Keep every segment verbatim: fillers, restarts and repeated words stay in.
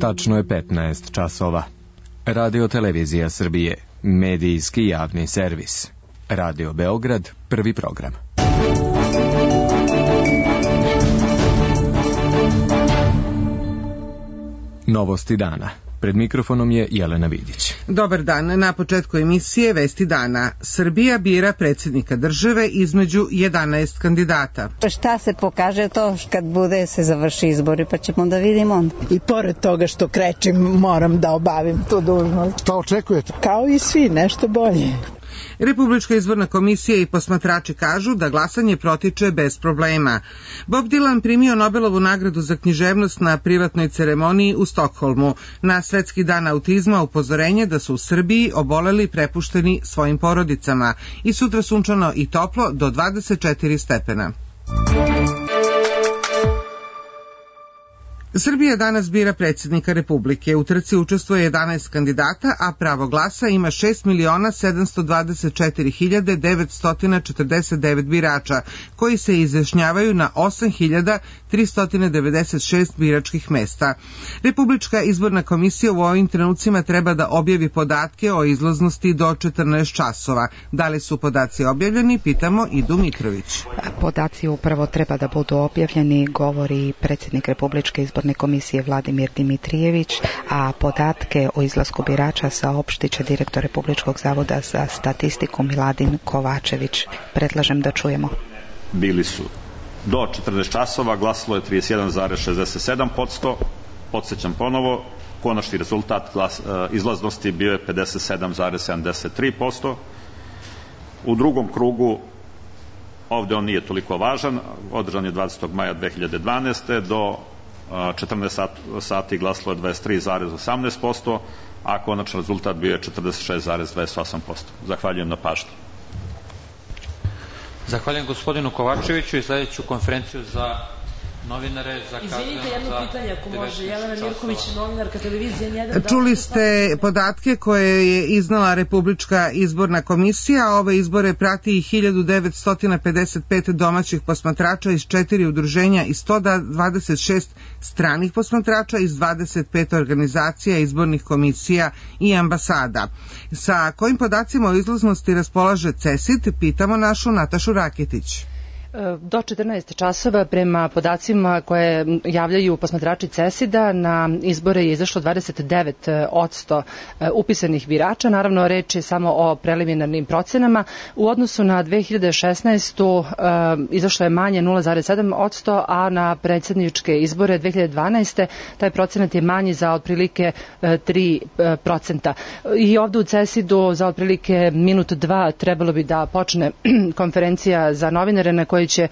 Tačno je petnaest časova. Radio Televizija Srbije, medijski javni servis. Radio Beograd, prvi program. Novosti dana. Pred mikrofonom je Jelena Vidić. Dobar dan. Na početku emisije Vesti dana. Srbija bira predsjednika države između jedanaest kandidata. Šta se pokaže to kad bude se završi izbori, pa ćemo da vidimo onda. I pored toga što krećem, moram da obavim tu dužnost. Šta očekujete? Kao i svi, nešto bolje. Republička izborna komisija i posmatrači kažu da glasanje protiče bez problema. Bob Dylan primio Nobelovu nagradu za književnost na privatnoj ceremoniji u Stokholmu. Na Svetski dan autizma upozorenje da su u Srbiji oboleli prepušteni svojim porodicama. I sutra sunčano i toplo do dvadeset četiri stepena. Srbija danas bira predsjednika Republike. U trci učestvuje jedanaest kandidata, a pravo glasa ima šest miliona sedamsto dvadeset četiri hiljade devetsto četrdeset devet birača, koji se izjašnjavaju na osam hiljada tristo devedeset šest biračkih mesta. Republička izborna komisija u ovim trenucima treba da objavi podatke o izlaznosti do četrnaest časova. Da li su podaci objavljeni, pitamo Idu Mitrović. Podaci upravo treba da budu objavljeni, govori predsjednik Republičke izborne komisije Vladimir Dimitrijević, a podatke o izlasku birača saopštit će direktor Republičkog zavoda za statistiku Miladin Kovačević. Predlažem da čujemo. Bili su do četrnaest časova, glasalo je trideset jedan zarez šezdeset sedam posto. Podsjećam ponovo, konačni rezultat glas, izlaznosti bio je pedeset sedam zarez sedamdeset tri posto. U drugom krugu, ovde on nije toliko važan, održan je dvadesetog maja dve hiljade dvanaeste. do četrnaest sati glasalo je dvadeset tri zarez osamnaest posto, a konačan rezultat bio je četrdeset šest zarez dvadeset osam posto. Zahvaljujem na pažnji. Zahvaljujem gospodinu Kovačeviću i sljedeću konferenciju za novinare zakazujem. Izvinite, jedno pitanje ako može. Jelena Mirković, novinarka televizije jedan. Čuli ste podatke koje je iznala Republička izborna komisija. Ove izbore prati i hiljadu devetsto pedeset pet domaćih posmatrača iz četiri udruženja i sto dvadeset šest stranih posmatrača iz dvadeset pet organizacija, izbornih komisija i ambasada. Sa kojim podacima o izlaznosti raspolaže CESID, pitamo našu Natašu Raketić. Do četrnaest časova prema podacima koje javljaju posmatrači CESID-a na izbore je izašlo dvadeset devet posto upisanih birača. Naravno, reč je samo o preliminarnim procenama. U odnosu na dve hiljade šesnaestu. izašlo je manje nula zarez sedam posto, a na predsjedničke izbore dve hiljade dvanaeste. taj procenat je manji za otprilike tri procenta. I ovdje u CESID-u za otprilike minut dva trebalo bi da počne konferencija za novinare na kojoj će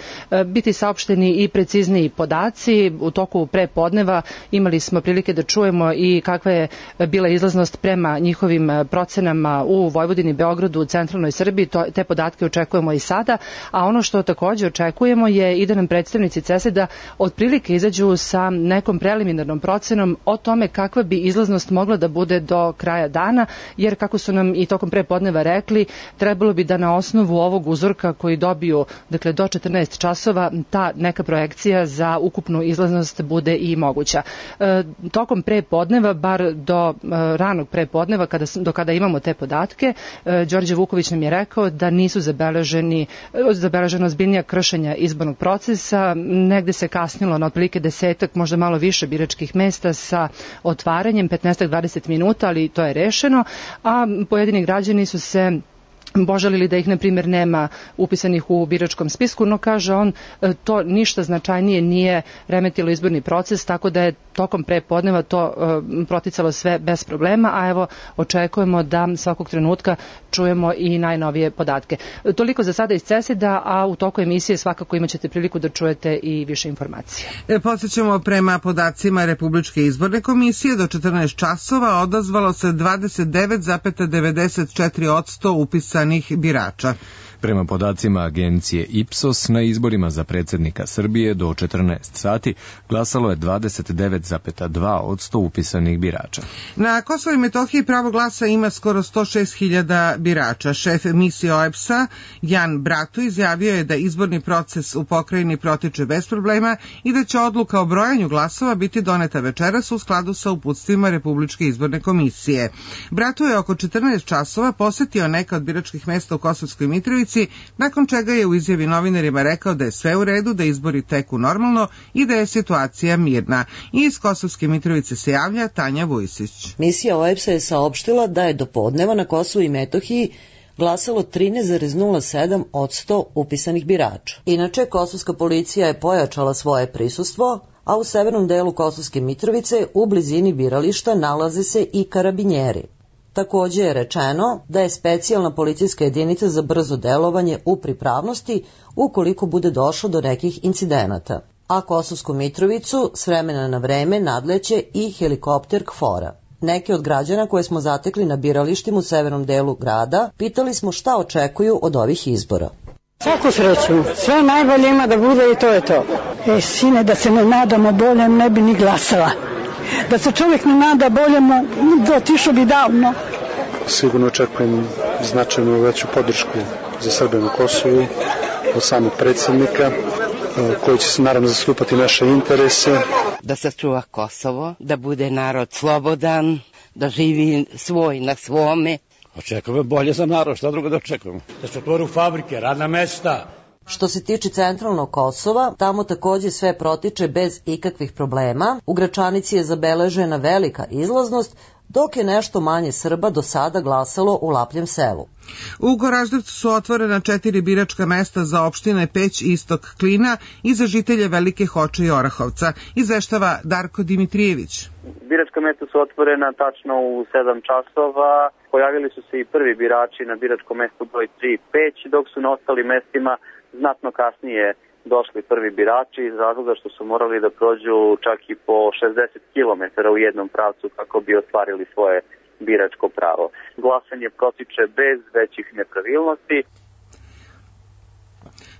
biti saopšteni i precizniji podaci. U toku prepodneva imali smo prilike da čujemo i kakva je bila izlaznost prema njihovim procenama u Vojvodini, Beogradu, u centralnoj Srbiji. To, te podatke očekujemo i sada, a ono što također očekujemo je i da nam predstavnici CESID-a otprilike izađu sa nekom preliminarnom procenom o tome kakva bi izlaznost mogla da bude do kraja dana, jer kako su nam i tokom prepodneva rekli, trebalo bi da na osnovu ovog uzorka koji dobiju, dakle do četrnaest časova, ta neka projekcija za ukupnu izlaznost bude i moguća. E, tokom prepodneva, bar do e, ranog prepodneva, kada, do kada imamo te podatke, e, Đorđe Vuković nam je rekao da nisu zabeleženi, zabeleženo ozbiljnija kršenja izbornog procesa, negde se kasnilo na otprilike desetak, možda malo više biračkih mesta sa otvaranjem, petnaest do dvadeset minuta, ali to je rešeno, a pojedini građani su se požalili da ih, na primjer, nema upisanih u biračkom spisku, no kaže on, to ništa značajnije nije remetilo izborni proces, tako da je tokom prepodneva to uh, proticalo sve bez problema, a evo očekujemo da svakog trenutka čujemo i najnovije podatke. Toliko za sada iz CESID-a, a u toku emisije svakako imat ćete priliku da čujete i više informacije. E, podsjećamo, prema podacima Republičke izborne komisije do četrnaest časova odazvalo se dvadeset devet zarez devedeset četiri posto upisa birača. Prema podacima agencije Ipsos, na izborima za predsjednika Srbije do četrnaest sati glasalo je dvadeset devet zarez dva posto upisanih birača. Na Kosovu i Metohiji pravo glasa ima skoro sto šest hiljada birača. Šef misije O E B S-a Jan Bratu izjavio je da izborni proces u pokrajini protiče bez problema i da će odluka o brojanju glasova biti doneta večeras u skladu sa uputstvima Republičke izborne komisije. Bratu je oko četrnaest časova posetio neka od biračkih mesta u Kosovskoj Mitrovici, nakon čega je u izjavi novinarima rekao da je sve u redu, da izbori teku normalno i da je situacija mirna. I iz Kosovske Mitrovice se javlja Tanja Vujsić. Misija O E B S-a je saopštila da je do podneva na Kosovu i Metohiji glasalo trinaest zarez nula sedam posto upisanih birača. Inače, kosovska policija je pojačala svoje prisustvo, a u severnom delu Kosovske Mitrovice u blizini birališta nalaze se i karabinjeri. Također je rečeno da je specijalna policijska jedinica za brzo delovanje u pripravnosti ukoliko bude došlo do nekih incidenata. A Kosovsku Mitrovicu s vremena na vreme nadleće i helikopter KFOR-a. Neke od građana koje smo zatekli na biralištima u severnom delu grada pitali smo šta očekuju od ovih izbora. Svaku sreću, sve najbolje ima da bude i to je to. E, sine, da se ne nadamo boljem, ne bi ni glasala. Da se čovjek ne nada boljemu, otišao bi davno. Sigurno očekujem značajnu veću podršku za Srbe na Kosovu od samog predsjednika, koji će se naravno zastupati naše interese. Da sačuva Kosovo, da bude narod slobodan, da živi svoj na svome. Očekujemo bolje za narod, šta drugo da očekujemo? Da se otvoru fabrike, radna mesta. Što se tiče centralnog Kosova, tamo također sve protiče bez ikakvih problema. U Gračanici je zabeležena velika izlaznost, dok je nešto manje Srba do sada glasalo u Lapljem selu. U Goraždevcu su otvorena četiri biračka mesta za opštine Peć, Istok, Klina i za žitelje Velike Hoče i Orahovca, izveštava Darko Dimitrijević. Biračka mesta su otvorena tačno u sedam časova. Pojavili su se i prvi birači na biračkom mestu broj tri Peć, dok su na ostalim mestima znatno kasnije došli prvi birači iz razloga što su morali da prođu čak i po šezdeset kilometara u jednom pravcu kako bi ostvarili svoje biračko pravo. Glasanje protiče bez većih nepravilnosti.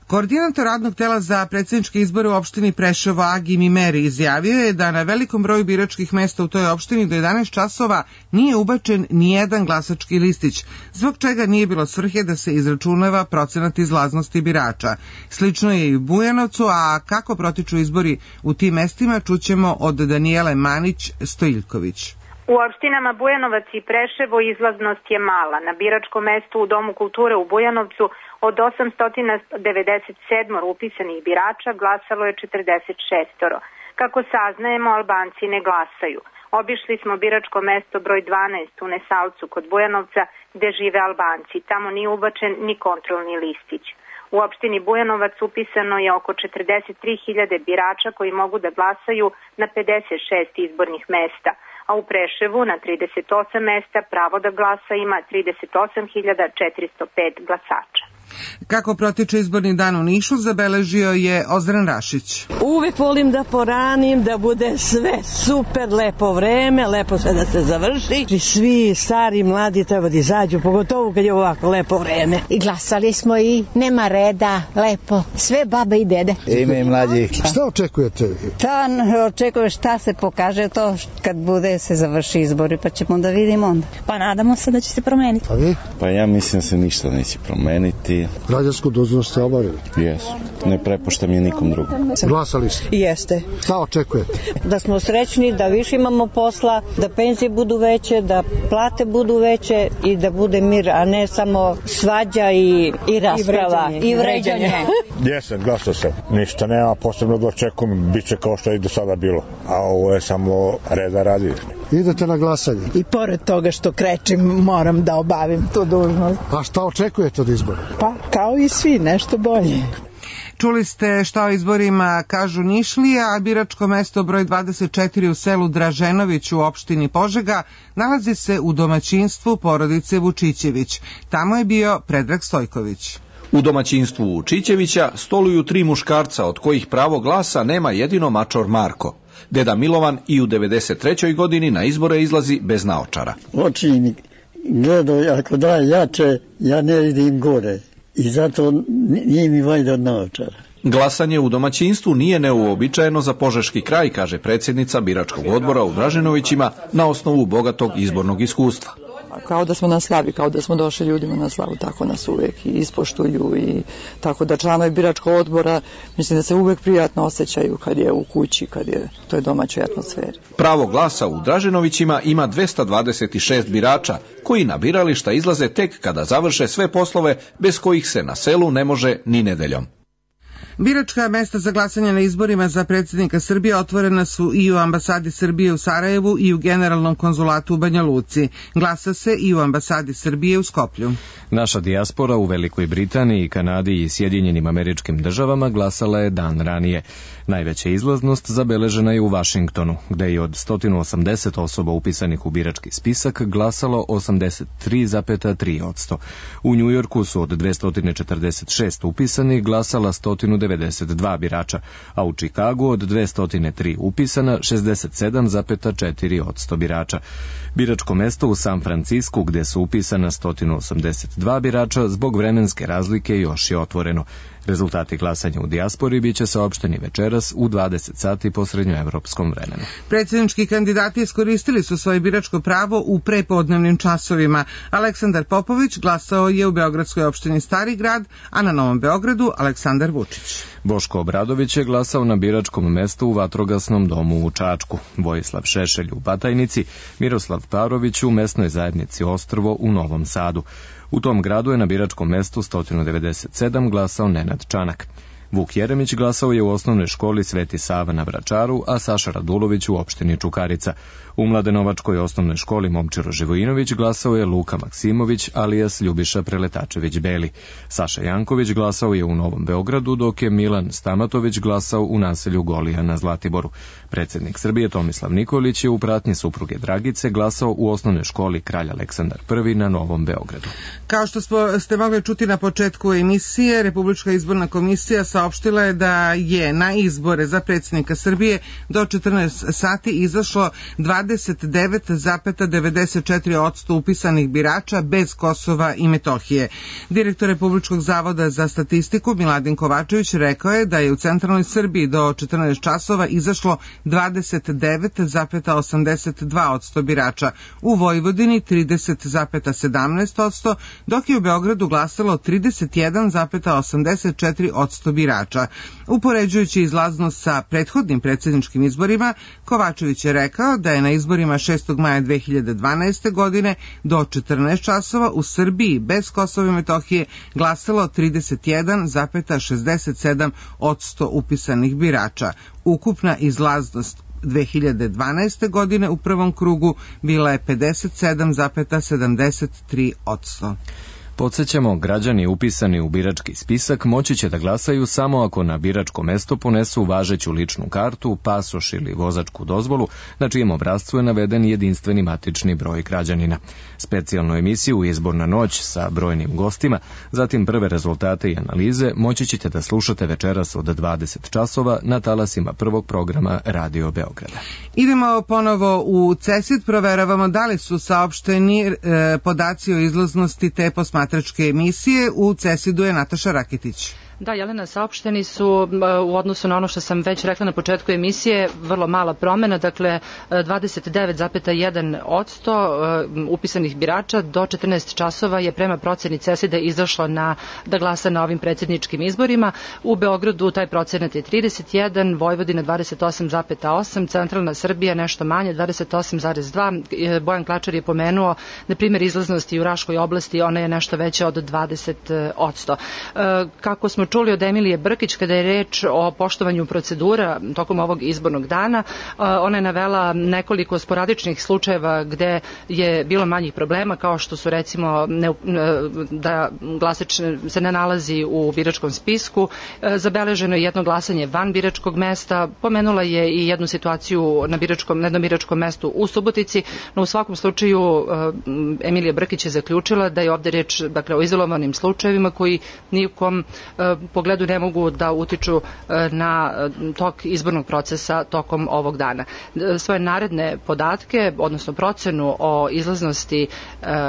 Koordinator radnog tela za predsjedničke izbore u opštini Preševo Agi Mimeri izjavio je da na velikom broju biračkih mesta u toj opštini do jedanaest časova nije ubačen ni jedan glasački listić, zbog čega nije bilo svrhe da se izračunava procenat izlaznosti birača. Slično je i u Bujanovcu, a kako protiču izbori u tim mestima čućemo od Danijele Manić-Stojiljković. U opštinama Bujanovac i Preševo izlaznost je mala. Na biračkom mestu u Domu kulture u Bujanovcu od osamsto devedeset sedam upisanih birača glasalo je četrdeset šest. Kako saznajemo, Albanci ne glasaju. Obišli smo biračko mesto broj dvanaest u Nesalcu kod Bujanovca gde žive Albanci. Tamo nije ubačen ni kontrolni listić. U opštini Bujanovac upisano je oko četrdeset tri hiljade birača koji mogu da glasaju na pedeset šest izbornih mesta, a u Preševu na trideset osam mesta pravo da glasa ima trideset osam hiljada četiristo pet glasača. Kako protiče izborni dan u Nišu, zabeležio je Ozren Rašić. Uvek volim da poranim, da bude sve super, lepo vreme, lepo sve da se završi. I svi stari i mladi treba da izađu, pogotovo kad je ovako lepo vreme. I glasali smo i nema reda, lepo, sve babe i dede. Ime i mlađi. Šta očekujete? Šta očekuje, šta se pokaže to kad bude se završi izbori, pa ćemo da vidimo onda. Pa nadamo se da će se promeniti. A vi? Pa ja mislim da se ništa neće promeniti. Građansku dužnost ste obavili? Jesu. Ne prepuštam je nikom drugom. Glasali ste? Jeste. Šta očekujete? Da smo srećni, da više imamo posla, da penzije budu veće, da plate budu veće i da bude mir, a ne samo svađa i, i rasprava. I vređanje. Jesam, glasao sam. Ništa nema posebno da očekujem. Biće kao što je i do sada bilo. A ovo je samo reda radi. Idete na glasanje? I pored toga što krećem, moram da obavim tu dužnost. A šta očekujete od izbora? Pa, kao i svi, nešto bolje. Čuli ste šta o izborima kažu Nišlija, a biračko mesto broj dvadeset četiri u selu Draženović u opštini Požega nalazi se u domaćinstvu porodice Vučićević. Tamo je bio Predrag Stojković. U domaćinstvu Vučićevića stoluju tri muškarca, od kojih pravo glasa nema jedino mačor Marko. Deda Milovan i u devedeset trećoj godini na izbore izlazi bez naočara. Očini gledaju, ako daje jače, ja ne vidim gore. i zato nije mi valjda od naočara. Glasanje u domaćinstvu nije neuobičajeno za Požeški kraj, kaže predsjednica biračkog odbora u Draženovićima na osnovu bogatog izbornog iskustva. Kao da smo na slavi, kao da smo došli ljudima na slavu, tako nas uvek i ispoštuju i tako da članovi biračkog odbora mislim da se uvek prijatno osjećaju kad je u kući, kad je u toj domaćoj atmosferi. Pravo glasa u Draženovićima ima dvesta dvadeset šest birača koji na birališta izlaze tek kada završe sve poslove bez kojih se na selu ne može ni nedeljom. Biračka mesta za glasanje na izborima za predsjednika Srbije otvorena su i u ambasadi Srbije u Sarajevu i u generalnom konzulatu u Banja Luci. Glasa se i u ambasadi Srbije u Skoplju. Naša dijaspora u Velikoj Britaniji, Kanadi i Sjedinjenim Američkim Državama glasala je dan ranije. Najveća izlaznost zabeležena je u Vašingtonu, gde je od sto osamdeset osoba upisanih u birački spisak glasalo osamdeset tri zarez tri posto. U Njujorku su od dvesta četrdeset šest upisanih glasala sto devedeset dva birača, a u Čikagu od dvesta tri upisana šezdeset sedam zarez četiri posto birača. Biračko mesto u San Francisku, gde su upisana sto osamdeset dva birača, zbog vremenske razlike još je otvoreno. Rezultati glasanja u dijaspori biće saopšteni večeras u dvadeset sati po srednjoevropskom vremenu. Predsjednički kandidati iskoristili su svoje biračko pravo u prepodnevnim časovima. Aleksandar Popović glasao je u beogradskoj opštini Stari grad, a na Novom Beogradu Aleksandar Vučić. Boško Obradović je glasao na biračkom mestu u Vatrogasnom domu u Čačku, Vojislav Šešelj u Batajnici, Miroslav Parović u mesnoj zajednici Ostrvo u Novom Sadu. U tom gradu je na biračkom mestu sto devedeset sedam glasao Nenad Čanak. Vuk Jeremić glasao je u osnovnoj školi Sveti Sava na Vračaru, a Saša Radulović u opštini Čukarica. U Mladenovačkoj osnovnoj školi Momčilo Živojinović glasao je Luka Maksimović, alijas Ljubiša Preletačević Beli. Saša Janković glasao je u Novom Beogradu, dok je Milan Stamatović glasao u naselju Golija na Zlatiboru. Predsjednik Srbije Tomislav Nikolić je u pratnji supruge Dragice glasao u osnovnoj školi Kralj Aleksandar prvi na Novom Beogradu. Kao što smo, ste mogli čuti na početku emisije, Republička izborna komisija saopštila je da je na izbore za predsjednika Srbije do četrnaest sati izašlo dvadeset devet zarez devedeset četiri posto upisanih birača bez Kosova i Metohije. Direktor Republičkog zavoda za statistiku Miladin Kovačević rekao je da je u centralnoj Srbiji do četrnaest časova izašlo dvadeset devet zarez osamdeset dva posto birača, u Vojvodini trideset zarez sedamnaest posto, dok je u Beogradu glasalo trideset jedan zarez osamdeset četiri posto birača. Upoređujući izlaznost sa prethodnim predsjedničkim izborima, Kovačević je rekao da je na izborima šestog maja dve hiljade dvanaeste. godine do četrnaest časova u Srbiji bez Kosova i Metohije glasalo trideset jedan zarez šezdeset sedam posto upisanih birača. Ukupna izlaznost dve hiljade dvanaeste. godine u prvom krugu bila je pedeset sedam zarez sedamdeset tri posto. Podsjećamo, građani upisani u birački spisak moći će da glasaju samo ako na biračko mesto ponesu važeću ličnu kartu, pasoš ili vozačku dozvolu, na čijem obrascu je naveden jedinstveni matični broj građanina. Specijalnu emisiju Izborna noć sa brojnim gostima, zatim prve rezultate i analize moći ćete da slušate večeras od dvadeset časova na talasima prvog programa Radio Beograda. Idemo ponovo u CESID, proveravamo da li su saopšteni e, podaci o izlaznosti te posmatračke emisije. U CESID-u je Nataša Raketić. Da, Jelena, saopšteni su u odnosu na ono što sam već rekla na početku emisije, vrlo mala promena, dakle dvadeset devet zarez jedan posto upisanih birača do četrnaest časova je prema proceni CESID-a izašlo na, da glasa na ovim predsjedničkim izborima. U Beogradu taj procenat je trideset jedan, Vojvodina dvadeset osam zarez osam, centralna Srbija nešto manje, dvadeset osam zarez dva. Bojan Klačar je pomenuo, na primjer, izlaznosti u Raškoj oblasti, ona je nešto veća od dvadeset posto. Kako smo čuli od Emilije Brkić, kada je reč o poštovanju procedura tokom ovog izbornog dana, ona je navela nekoliko sporadičnih slučajeva gde je bilo manjih problema, kao što su recimo ne, da glasač se ne nalazi u biračkom spisku, zabeleženo je jedno glasanje van biračkog mesta, pomenula je i jednu situaciju na biračkom, na jednom biračkom mestu u Subotici, no u svakom slučaju Emilija Brkić je zaključila da je ovde reč, dakle, o izolovanim slučajevima koji nikom pogledu ne mogu da utiču na tok izbornog procesa tokom ovog dana. Svoje naredne podatke, odnosno procenu o izlaznosti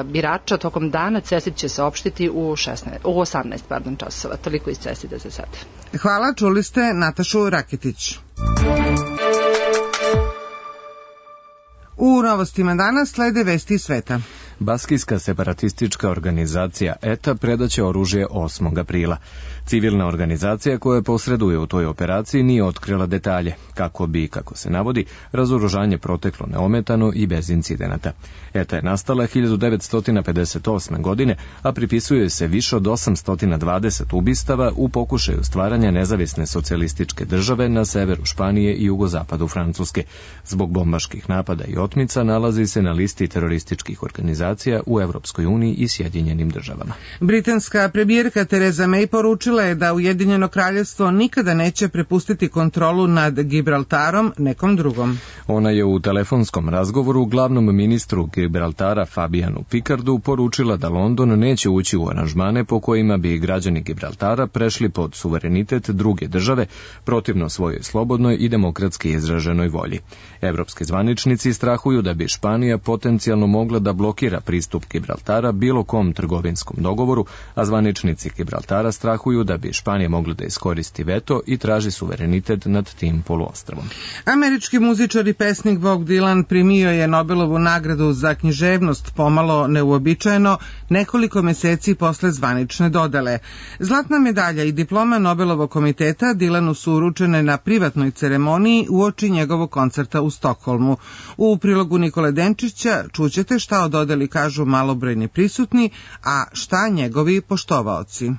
birača tokom dana CESID će saopštiti u, šesnaest, u osamnaest pardon, časova. Toliko iz CESID-a za sad. Hvala, čuli ste Natašu Raketić. U novostima danas slede vesti iz sveta. Baskijska separatistička organizacija E T A predaće oružje osmog aprila. Civilna organizacija koja posreduje u toj operaciji nije otkrila detalje, kako bi, kako se navodi, razoružanje proteklo neometano i bez incidenata. E T A je nastala hiljadu devetsto pedeset osme. godine, a pripisuje se više od osamsto dvadeset ubistava u pokušaju stvaranja nezavisne socijalističke države na severu Španije i jugozapadu Francuske. Zbog bombaških napada i otmica nalazi se na listi terorističkih organizacija u Evropskoj uniji i Sjedinjenim državama. Britanska premijerka Tereza May poručila je da Ujedinjeno kraljevstvo nikada neće prepustiti kontrolu nad Gibraltarom nekom drugom. Ona je u telefonskom razgovoru glavnom ministru Gibraltara Fabianu Picardu poručila da London neće ući u aranžmane po kojima bi građani Gibraltara prešli pod suverenitet druge države protivno svojoj slobodnoj i demokratski izraženoj volji. Evropski zvaničnici strahuju da bi Španija potencijalno mogla da blokira pristup Gibraltara bilo kom trgovinskom dogovoru, a zvaničnici Gibraltara strahuju da bi Španija mogla da iskoristi veto i traži suverenitet nad tim poluostrvom. Američki muzičar i pesnik Bob Dylan primio je Nobelovu nagradu za književnost pomalo neuobičajeno nekoliko meseci posle zvanične dodele. Zlatna medalja i diploma Nobelovog komiteta Dylanu su uručene na privatnoj ceremoniji uoči njegovog koncerta u Stokholmu. U prilogu Nikole Denčića čućete šta o dodeli kažu malobrojni prisutni, a šta njegovi poštovaoci.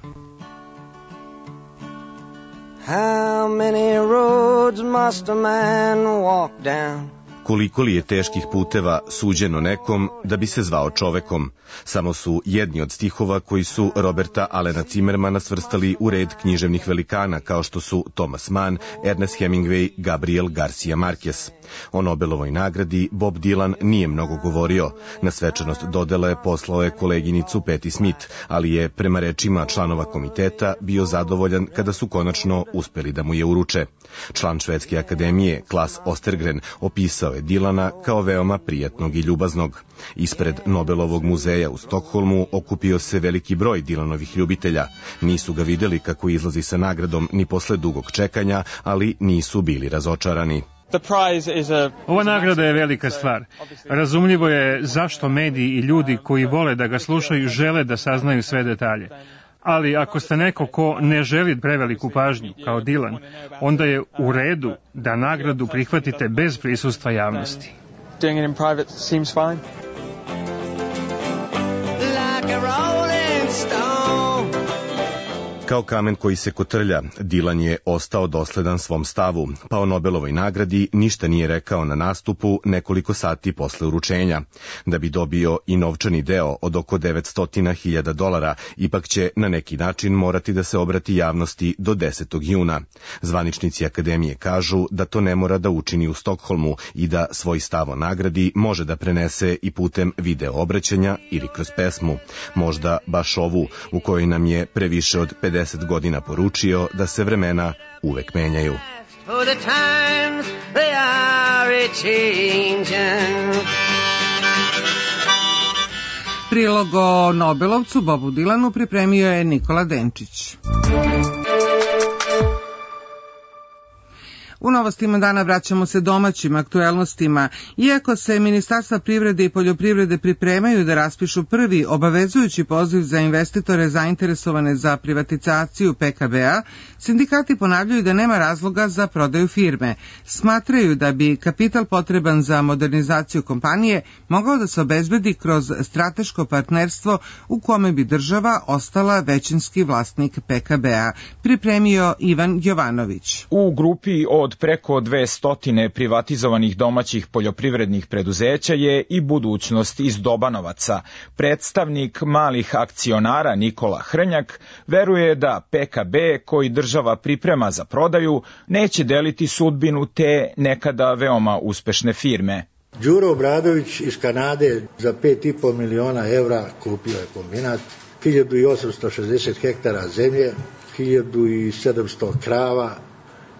How many roads must a man walk down? Koliko li je teških puteva suđeno nekom da bi se zvao čovekom? Samo su jedni od stihova koji su Roberta Alena Zimmermana svrstali u red književnih velikana kao što su Thomas Mann, Ernest Hemingway, Gabriel Garcia Marquez. O Nobelovoj nagradi Bob Dylan nije mnogo govorio. Na svečanost dodele poslao je koleginicu Patti Smith, ali je prema rečima članova komiteta bio zadovoljan kada su konačno uspeli da mu je uruče. Član Švedske akademije Klas Ostergren opisao je Dylana kao veoma prijatnog i ljubaznog. Ispred Nobelovog muzeja u Stokholmu okupio se veliki broj Dylanovih ljubitelja. Nisu ga videli kako izlazi sa nagradom ni posle dugog čekanja, ali nisu bili razočarani. Ova nagrada je velika stvar. Razumljivo je zašto mediji i ljudi koji vole da ga slušaju žele da saznaju sve detalje. Ali ako ste neko ko ne želi preveliku pažnju, kao Dylan, onda je u redu da nagradu prihvatite bez prisustva javnosti. Doing it in private seems fine. Like a rolling stone. Kao kamen koji se kotrlja, Dylan je ostao dosledan svom stavu, pa o Nobelovoj nagradi ništa nije rekao na nastupu nekoliko sati posle uručenja. Da bi dobio i novčani deo od oko devetsto hiljada dolara, ipak će na neki način morati da se obrati javnosti do desetog juna. Zvaničnici akademije kažu da to ne mora da učini u Stokholmu i da svoj stav o nagradi može da prenese i putem video obraćanja ili kroz pesmu. Možda baš ovu, u kojoj nam je previše od pedeset godina poručio da se vremena uvek menjaju. Prilog o Nobelovcu Bobu Dylanu pripremio je Nikola Denčić. U novostima dana vraćamo se domaćim aktuelnostima. Iako se Ministarstva privrede i poljoprivrede pripremaju da raspišu prvi obavezujući poziv za investitore zainteresovane za privatizaciju P K B-a, sindikati ponavljaju da nema razloga za prodaju firme. Smatraju da bi kapital potreban za modernizaciju kompanije mogao da se obezbedi kroz strateško partnerstvo u kome bi država ostala većinski vlasnik P K B-a. Pripremio Ivan Jovanović. U grupi od preko dvesta privatizovanih domaćih poljoprivrednih preduzeća je i budućnost iz Dobanovaca. Predstavnik malih akcionara Nikola Hrnjak veruje da P K B, koji država priprema za prodaju, neće deliti sudbinu te nekada veoma uspešne firme. Đuro Obradović iz Kanade za pet i po miliona evra kupio je kombinat, hiljadu osamsto šezdeset hektara zemlje, hiljadu sedamsto krava,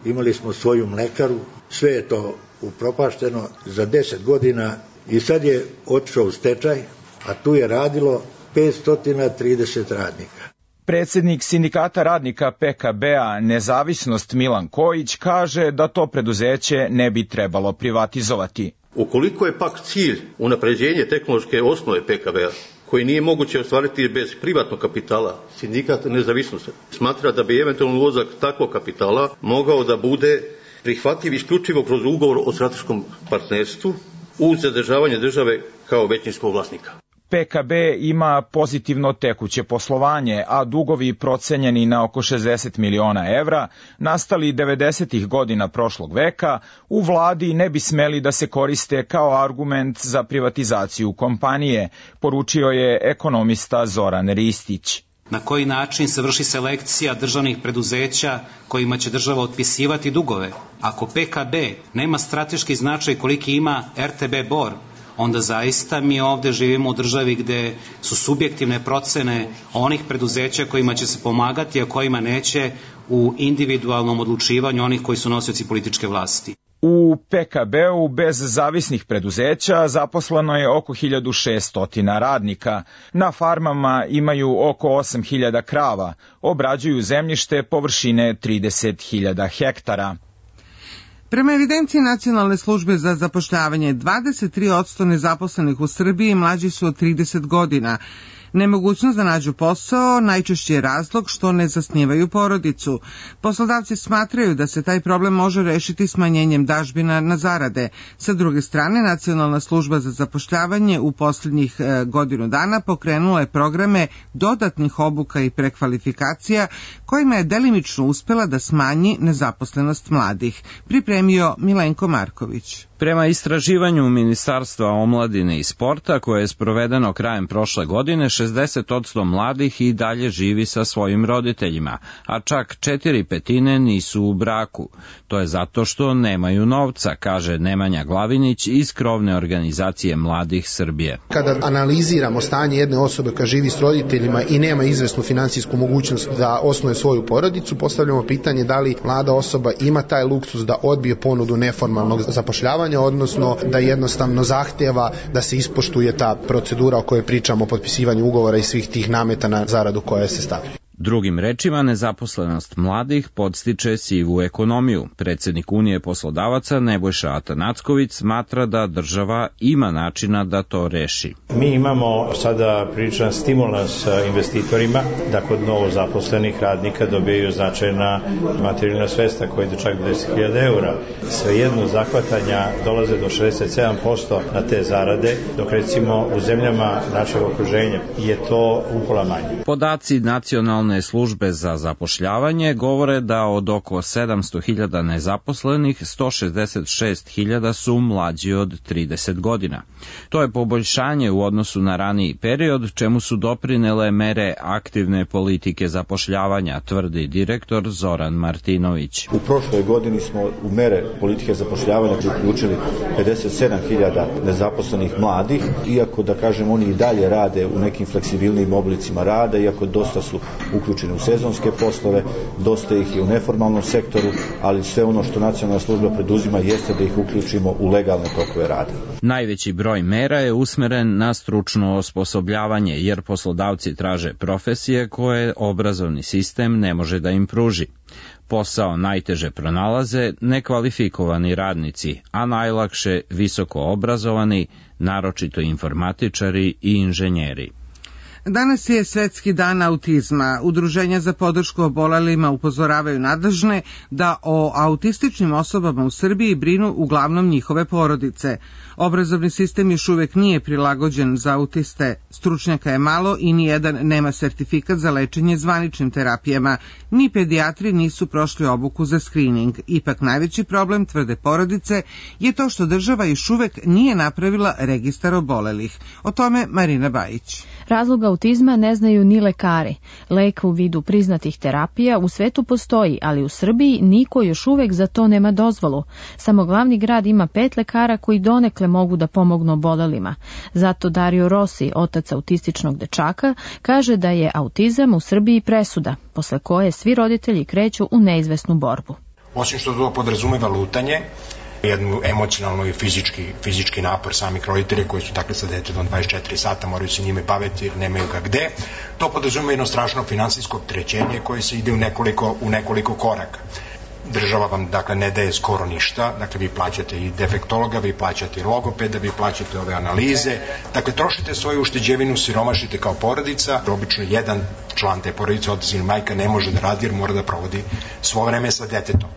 imali smo svoju mlekaru, sve je to upropašteno za deset godina i sad je otišao u stečaj, a tu je radilo petsto trideset radnika. Predsjednik sindikata radnika P K B-a Nezavisnost Milan Kojić kaže da to preduzeće ne bi trebalo privatizovati. Ukoliko je pak cilj unapređenje tehnološke osnove P K B-a, koji nije moguće ostvariti bez privatnog kapitala, sindikat Nezavisnosti smatra da bi eventualno ulazak takvog kapitala mogao da bude prihvatljiv isključivo kroz ugovor o strateškom partnerstvu uz zadržavanje države kao većinskog vlasnika. P K B ima pozitivno tekuće poslovanje, a dugovi procenjeni na oko šezdeset miliona evra, nastali devedesetih godina prošlog veka, u vladi ne bi smeli da se koriste kao argument za privatizaciju kompanije, poručio je ekonomista Zoran Ristić. Na koji način se vrši selekcija državnih preduzeća kojima će država otpisivati dugove? Ako P K B nema strateški značaj koliki ima R T B Bor, onda zaista mi ovde živimo u državi gde su subjektivne procene onih preduzeća kojima će se pomagati, a kojima neće, u individualnom odlučivanju onih koji su nosioci političke vlasti. U P K B-u bez zavisnih preduzeća zaposleno je oko hiljadu šesto radnika. Na farmama imaju oko osam hiljada krava, obrađuju zemljište površine trideset hiljada hektara. Prema evidenciji Nacionalne službe za zapošljavanje, dvadeset tri posto nezaposlenih u Srbiji mlađi su od trideset godina. Nemogućnost da nađu posao najčešći je razlog što ne zasnivaju porodicu. Poslodavci smatraju da se taj problem može rešiti smanjenjem dažbina na zarade. Sa druge strane, Nacionalna služba za zapošljavanje u posljednjih godinu dana pokrenula je programe dodatnih obuka i prekvalifikacija kojima je delimično uspela da smanji nezaposlenost mladih. Pripremio Milenko Marković. Prema istraživanju Ministarstva omladine i sporta koje je sprovedeno krajem prošle godine, šezdeset posto mladih i dalje živi sa svojim roditeljima, a čak četiri petine nisu u braku. To je zato što nemaju novca, kaže Nemanja Glavinić iz krovne organizacije Mladih Srbije. Kada analiziramo stanje jedne osobe koja živi s roditeljima i nema izvesnu finansijsku mogućnost da osnuje svoju porodicu, postavljamo pitanje da li mlada osoba ima taj luksus da odbije ponudu neformalnog zapošljavanja, odnosno da jednostavno zahteva da se ispoštuje ta procedura o kojoj pričamo, potpisivanju ugovora i svih tih nameta na zaradu koja se stavlja. Drugim rečima, nezaposlenost mladih podstiče sivu ekonomiju. Predsjednik Unije poslodavaca Nebojša Atanacković smatra da država ima načina da to reši. Mi imamo sada pričan stimulans investitorima da kod novo zaposlenih radnika dobijaju značajna materijalna sredstva koji do čak deset hiljada eura. Svejedno zahvatanja dolaze do šezdeset sedam posto na te zarade, dok recimo u zemljama našeg okruženja je to upola manje. Podaci nacionalne službe za zapošljavanje govore da od oko sedamsto hiljada nezaposlenih, sto šezdeset šest hiljada su mlađi od trideset godina. To je poboljšanje u odnosu na raniji period, čemu su doprinele mere aktivne politike zapošljavanja, tvrdi direktor Zoran Martinović. U prošloj godini smo u mere politike zapošljavanja uključili pedeset sedam hiljada nezaposlenih mladih, iako da kažem oni i dalje rade u nekim fleksibilnim oblicima rada, iako dosta su uključeni u sezonske poslove, dosta ih je u neformalnom sektoru, ali sve ono što nacionalna služba preduzima jeste da ih uključimo u legalne tokove rada. Najveći broj mera je usmeren na stručno osposobljavanje, jer poslodavci traže profesije koje obrazovni sistem ne može da im pruži. Posao najteže pronalaze nekvalifikovani radnici, a najlakše visoko obrazovani, naročito informatičari i inženjeri. Danas je Svetski dan autizma. Udruženja za podršku obolelima upozoravaju nadležne da o autističnim osobama u Srbiji brinu uglavnom njihove porodice. Obrazovni sistem još uvek nije prilagođen za autiste. Stručnjaka je malo i nijedan nema sertifikat za lečenje zvaničnim terapijama. Ni pedijatri nisu prošli obuku za skrining. Ipak najveći problem, tvrde porodice, je to što država još uvek nije napravila registar obolelih. O tome Marina Bajić. Razlog autizma ne znaju ni lekari. Lek u vidu priznatih terapija u svetu postoji, ali u Srbiji niko još uvek za to nema dozvolu. Samo glavni grad ima pet lekara koji donekle mogu da pomognu obolelima. Zato Dario Rossi, otac autističnog dečaka, kaže da je autizam u Srbiji presuda, posle koje svi roditelji kreću u neizvesnu borbu. Osim što to podrazumeva lutanje, jednu emocionalnu i fizički, fizički napor samih roditelja koji su dakle sa detetom dvadeset četiri sata, moraju se njime baviti jer nemaju ga gde. To podrazumeva jedno strašno finansijsko opterećenje koje se ide u nekoliko, u nekoliko koraka. Država vam dakle ne daje skoro ništa, dakle vi plaćate i defektologa, vi plaćate i logopeda, vi plaćate ove analize, dakle trošite svoju ušteđevinu, siromašite kao porodica, obično jedan član te porodice, otac ili majka, ne može da radi jer mora da provodi svo vreme sa detetom.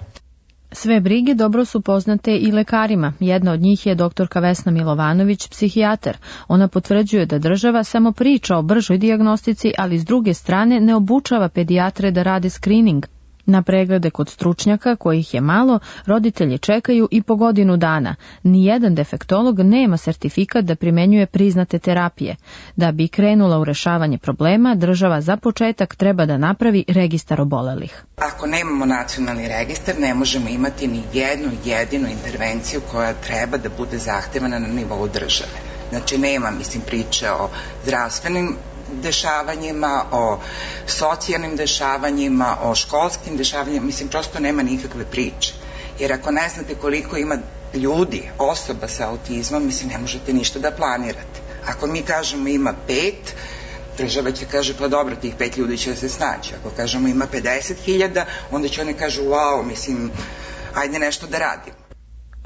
Sve brige dobro su poznate i lekarima. Jedna od njih je doktorka Vesna Milovanović, psihijatar. Ona potvrđuje da država samo priča o bržoj dijagnostici, ali s druge strane ne obučava pedijatre da rade skrining. Na preglede kod stručnjaka, kojih je malo, roditelji čekaju i po godinu dana. Nijedan defektolog nema sertifikat da primenjuje priznate terapije. Da bi krenula u rešavanje problema, država za početak treba da napravi registar obolelih. Ako nemamo nacionalni registar, ne možemo imati ni jednu jedinu intervenciju koja treba da bude zahtevana na nivou države. Znači nema, mislim, priče o zdravstvenim dešavanjima, o socijalnim dešavanjima, o školskim dešavanjima, mislim, prosto nema nikakve priče. Jer ako ne znate koliko ima ljudi, osoba sa autizmom, mislim, ne možete ništa da planirate. Ako mi kažemo ima pet, država će kaže, pa dobro, tih pet ljudi će se snaći. Ako kažemo ima pedeset hiljada, onda će oni kažu, wow, mislim, ajde nešto da radimo.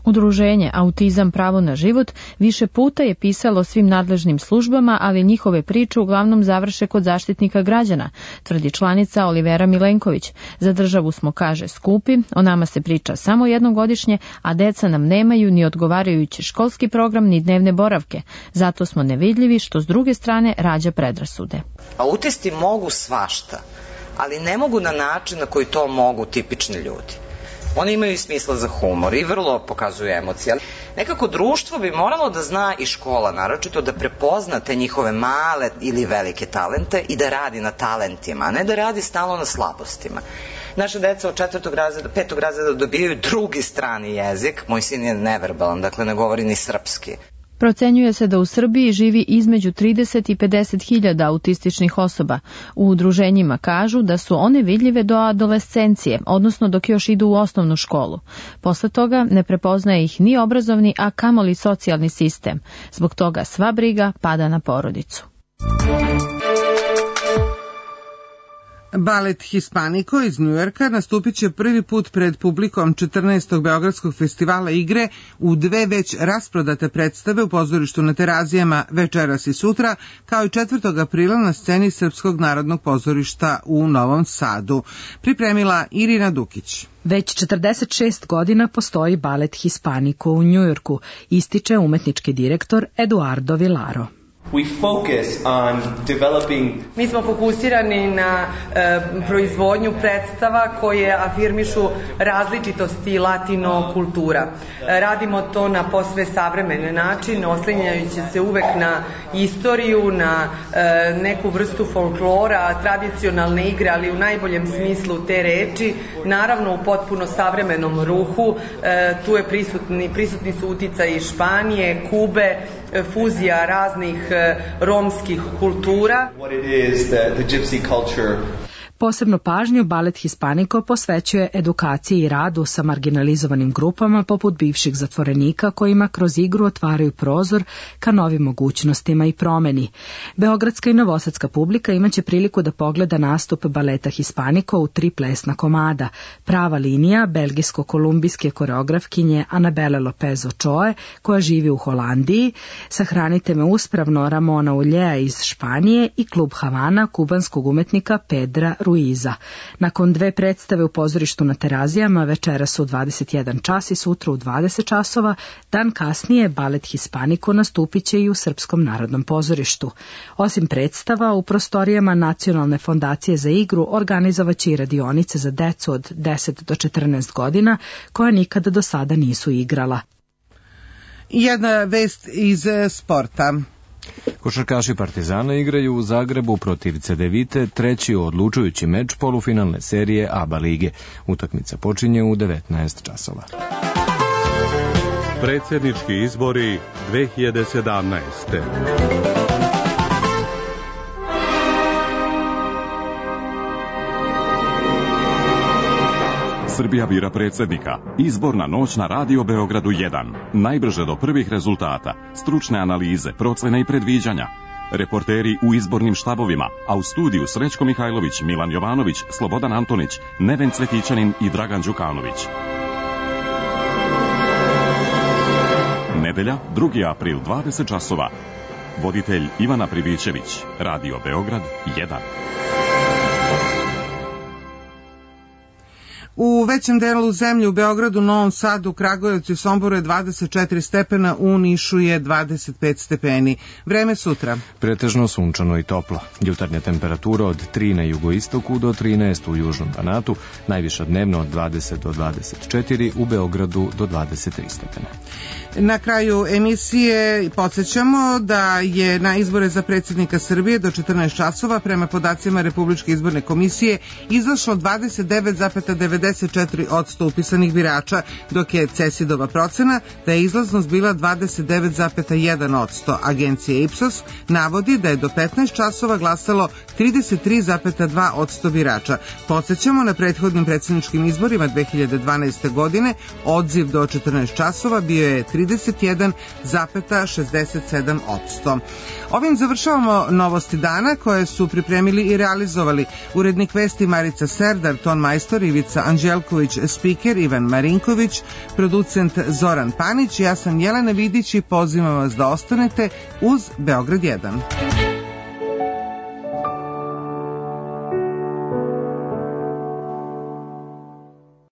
Udruženje Autizam pravo na život više puta je pisalo svim nadležnim službama, ali njihove priče uglavnom završe kod Zaštitnika građana, tvrdi članica Olivera Milenković. Za državu smo, kaže, skupi, o nama se priča samo jednogodišnje, a deca nam nemaju ni odgovarajući školski program ni dnevne boravke. Zato smo nevidljivi, što s druge strane rađa predrasude. Autisti mogu svašta, ali ne mogu na način na koji to mogu tipični ljudi. Oni imaju i smisla za humor i vrlo pokazuju emocije. Nekako društvo bi moralo da zna i škola, naročito da prepozna te njihove male ili velike talente i da radi na talentima, a ne da radi stalno na slabostima. Naša deca od četvrtog razreda, petog razreda dobijaju drugi strani jezik. Moj sin je neverbalan, dakle ne govori ni srpski. Procenjuje se da u Srbiji živi između trideset i pedeset hiljada autističnih osoba. U udruženjima kažu da su one vidljive do adolescencije, odnosno dok još idu u osnovnu školu. Posle toga ne prepoznaje ih ni obrazovni, a kamoli socijalni sistem. Zbog toga sva briga pada na porodicu. Balet Hispanico iz Njujorka nastupit će prvi put pred publikom četrnaestog Beogradskog festivala igre u dve već rasprodate predstave u pozorištu na Terazijama večeras i sutra, kao i četvrtog aprila na sceni Srpskog narodnog pozorišta u Novom Sadu. Pripremila Irina Dukić. Već četrdeset šest godina postoji balet Hispanico u Njujorku, ističe umetnički direktor Eduardo Vilaro. We focus on developing... Mi smo fokusirani na e, proizvodnju predstava koje afirmišu različitosti latino kultura. E, radimo to na posve savremen način, oslanjajući se uvek na istoriju, na e, neku vrstu folklora, tradicionalne igre, ali u najboljem smislu te reči, naravno u potpuno savremenom ruhu. E, tu je prisutni, prisutni su uticaji Španije, Kube, fuzija raznih romskih kultura. What it is, the, the gypsy culture. Posebnu pažnju balet Hispanico posvećuje edukaciji i radu sa marginalizovanim grupama poput bivših zatvorenika kojima kroz igru otvaraju prozor ka novim mogućnostima i promeni. Beogradska i novosadska publika imaće priliku da pogleda nastup baleta Hispanico u tri plesna komada. Prava linija belgijsko-kolumbijske koreografkinje Anabele Lopez Ochoe, koja živi u Holandiji, Sahranite me uspravno Ramona Uljea iz Španije i klub Havana kubanskog umetnika Pedra Ruiza. Nakon dve predstave u pozorištu na Terazijama večeras u dvadeset jedan čas i sutra u dvadeset časova, dan kasnije balet Hispanico nastupit će i u Srpskom narodnom pozorištu. Osim predstava, u prostorijama Nacionalne fondacije za igru organizovaće i radionice za decu od deset do četrnaest godina koja nikada do sada nisu igrala. Jedna vest iz sporta. Košarkaši Partizana igraju u Zagrebu protiv Cedevite, treći odlučujući meč polufinalne serije A B A lige. Utakmica počinje u devetnaest časova. Predsjednički izbori dve hiljade sedamnaeste. Srbija bira predsjednika. Izborna noć na Radio Beogradu jedan. Najbrže do prvih rezultata. Stručne analize, procene i predviđanja. Reporteri u izbornim štabovima, a u studiju Srećko Mihajlović, Milan Jovanović, Slobodan Antonić, Neven Cvetićanin i Dragan Đukanović. Nedelja, drugi april, dvadeset časova. Voditelj Ivana Pribićević. Radio Beograd jedan. U većem delu zemlje u Beogradu, Novom Sadu, Kragujevcu i Somboru je dvadeset četiri stepena, u Nišu je dvadeset pet stepeni. Vreme sutra. Pretežno sunčano i toplo. Jutarnja temperatura od tri na jugoistoku do trinaest u južnom Banatu, najviša dnevno od dvadeset do dvadeset četiri, u Beogradu do dvadeset tri stepena. Na kraju emisije podsjećamo da je na izbore za predsjednika Srbije do četrnaest časova prema podacima Republičke izborne komisije izašlo dvadeset devet zarez devedeset četiri posto upisanih birača, dok je Cesidova procena da je izlaznost bila dvadeset devet zarez jedan posto. Agencija Ipsos navodi da je do petnaest časova glasalo trideset tri zarez dva posto birača. Podsjećamo, na prethodnim predsjedničkim izborima dve hiljade dvanaeste. godine odziv do četrnaest časova bio je trideset jedan zarez šezdeset sedam posto. Ovim završavamo novosti dana koje su pripremili i realizovali urednik vesti Marica Serdar, ton majstor Ivica Anđelković, spiker Ivan Marinković, producent Zoran Panić. Ja sam Jelena Vidić i pozivam vas da ostanete uz Beograd jedan.